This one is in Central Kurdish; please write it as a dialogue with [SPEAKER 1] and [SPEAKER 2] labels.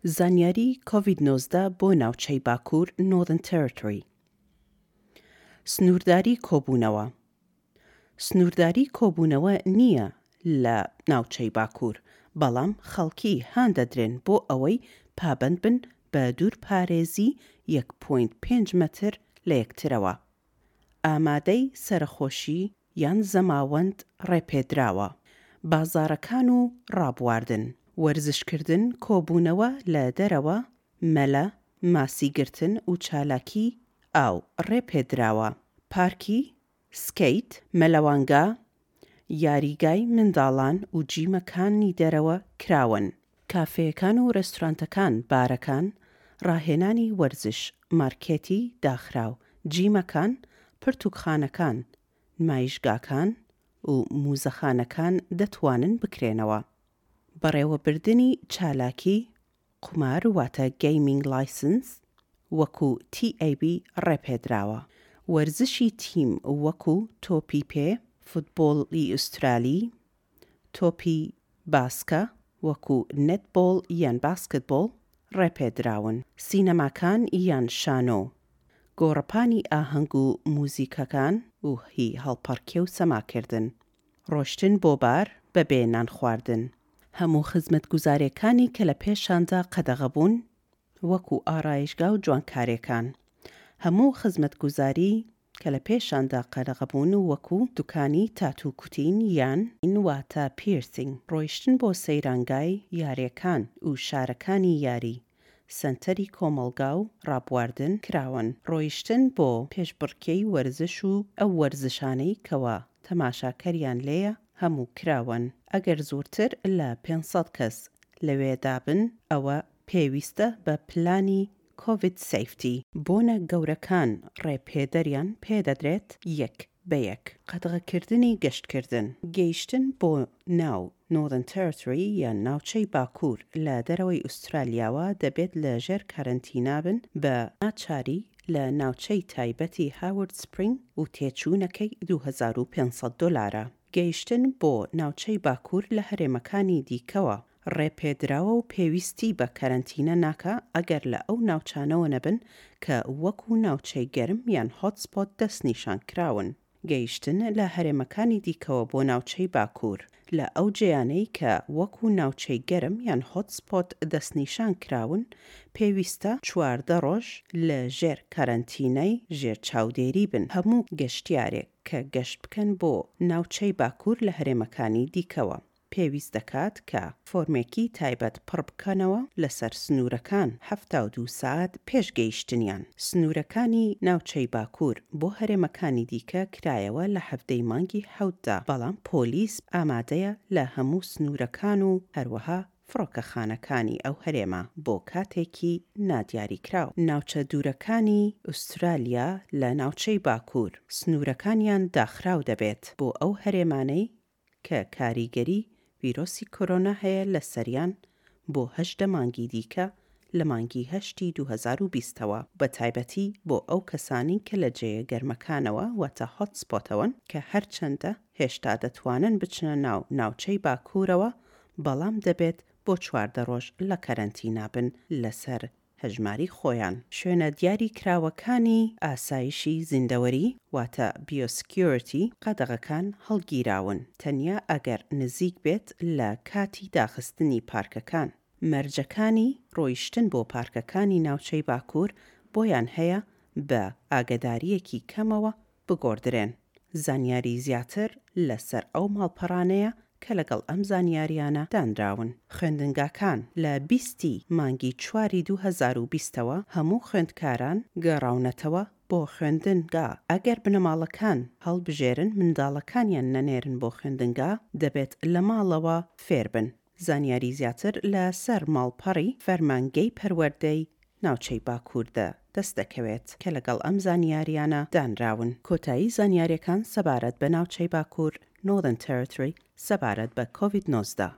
[SPEAKER 1] زانیاری کۆڤید 19 بۆ ناوچەی باکوور Northern Territory. سنوورداری کۆبوونەوە سنوورداری کۆبوونەوە نییە لە ناوچەی باکوور، بەڵام خەڵکی هان دەدرێن بۆ ئەوەی پابەند بن بە دوورپارێزی یەک پۆینت پێنج مەتر لە یەکترەوە. ئامادەی سەرەخۆشی یان زەماوەند ڕێپێدراوە. بازاڕەکان و ڕابواردن، وەرزشکردن، کۆبوونەوە لە دەرەوە، مەلە، ماسیگرتن و چالاکی ئاو ڕێپێدراوە. پارکی سکەیت، مەلەوانگا، یاریگای منداڵان و جیمەکانی دەرەوە کراوەن. کافێیەکان و رێستورانتەکان، بارەکان، ڕاهێنانی وەرزش، مارکێتی داخراو، جیمەکان، پرتوکخانەکان، نمایشگاکان و موزەخانەکان دەتوانن بکرێنەوە. بەڕێوەبردنی چالاکی قومار واتە Gaming License وەکو TAB ڕێپێدراوە. وەرزشی تیم وەکو تۆپی پێ، فوتبۆڵی ئوسترالی، تۆپی باسکە وەکو نێتبۆڵ یان باسکتبۆڵ ڕێپێدراون. سینەماکان یان شانۆ، گۆڕەپانی ئاهەنگ و موزیکەکان و هی هەڵپەڕکێ و سەماکردن. ڕۆشتن بۆ بار بەبێ نانخواردن. هەموو خزمەتگوزارێکانی کە لە پێشاندا قەدەغە بوون وەکو ئارایشگا و جوانکارێکان. هەموو خزمەتگوزاری کە لە پێشاندا قەدەغە بوون وەکو دوکانی تاتوو کوتین یان واتە پیرسینگ. ڕۆیشتن بۆ سەیرانگای یارێکان و شارەکانی یاری سەنتەری کۆمەڵگا و ڕابواردن کراوەن. ڕۆیشتن بۆ پێشبڕکێی وەرزش و ئەو وەرزشانەی کەوا تەماشاکەریان لێیە هەموو کراوەن. ئەگەر زۆرتر لە 500 کەس لەوێدا بن ئەوە پێویستە بە پلانی Covid Safety. بۆنە گەورەکان ڕێپێدەریان پێدەدرێت یەک بە یەک. قەدغەکردنی گەشتکردن. گەیشتن بۆ ناو Northern Territory یان ناوچەی باکوور لە دەرەوەی ئوسترالیاوە دەبێت لە ژێر کەرەنتینا بن بە ناچاری لە ناوچەی تایبەتی Howard Spring و تێچوونەکەی 2500 دۆلارە. گەیشتن بۆ ناوچەی باکوور لە هەرێمەکانی دیکەوە ڕێپێدراوە و پێویستی بە کەرەنتینە ناکا ئەگەر لە ئەو ناوچانەوە نەبن کە وەکو ناوچەی گەرم یان hotspot دەستنیشان کراون. گەیشتن لە هەرێمەکانی دیکەوە بۆ ناوچەی باکوور لە ئەو جێیانەی کە وەکو ناوچەی گەرم یان hotspot دەستنیشان کراون پێویستە 14 ڕۆژ لە ژێر کەرەنتینەی ژێر چاودێری بن. هەموو گەشتیارێک کە گەشت بکەن بۆ ناوچەی باکوور لە هەرێمەکانی دیکەوە پێویست دەکات کە فۆرمێکی تایبەت پڕ بکەنەوە لەسەر سنوورەکان 72 سەعات پێش گەیشتنیان. سنوورەکانی ناوچەی باکوور بۆ هەرێمەکانی دیکە کرایەوە لە حەڤدەی مانگی حەوتدا، بەڵام پۆلیس ئامادەیە لە هەموو سنوورەکان و هەروەها فڕۆکەخانەکانی ئەو هەرێمە بۆ کاتێکی نادیاریکراو. ناوچە دوورەکانی ئوسترالیا لە ناوچەی باکوور سنوورەکانیان داخراو دەبێت بۆ ئەو هەرێمانەی کە کاریگەری ڤیرۆسی کۆرۆنا هەیە لەسەریان بۆ 18 مانگی دیکە لە مانگی هەشتی 2020 ەوە، بەتایبەتی بۆ ئەو کەسانەی کە لە جێیە گەرمەکانەوە واتە hotspot ەوەن کە هەرچەندە هێشتا دەتوانن بچنە ناو ناوچەی باکوورەوە بەڵام دەبێت بۆ 14 ڕۆژ لە کەرەنتینا بن لەسەر هەژماری خۆیان. شوێنە دیاری کراوەکانی ئاسایشی زیندەوەری واتە Biosecurity قەدەغەکان هەڵگیراون تەنیا ئەگەر نزیک بێت لە کاتی داخستنی پارکەکان. مەرجەکانی ڕۆیشتن بۆ پارکەکانی ناوچەی باکوور بۆیان هەیە بە ئاگەدارییەکی کەمەوە بگۆڕدرێن. زانیاری زیاتر لەسەر ئەو ماڵپەڕانەیە کە لەگەڵ ئەم زانیاریانە دانراون. خوێندنگاکان لە 20 ی مانگی چواری 2020 ەوە هەموو خوێندکاران گەڕاونەتەوە بۆ خوێندنگا. ئەگەر بنەماڵەکان هەڵبژێرن منداڵەکانیان نەنێرن بۆ خوێندنگا، دەبێت لە ماڵەوە فێربن. زانیاری زیاتر لە سەر ماڵپەڕی فەرمانگەی پەروەردەی ناوچەی باکووردا دەست دەکەوێت کە لەگەڵ ئەم زانیاریانە دانراون. کۆتایی زانیاریەکان سەبارەت بە ناوچەی باکوور Northern Territory سەبارەت بە کۆڤید 19.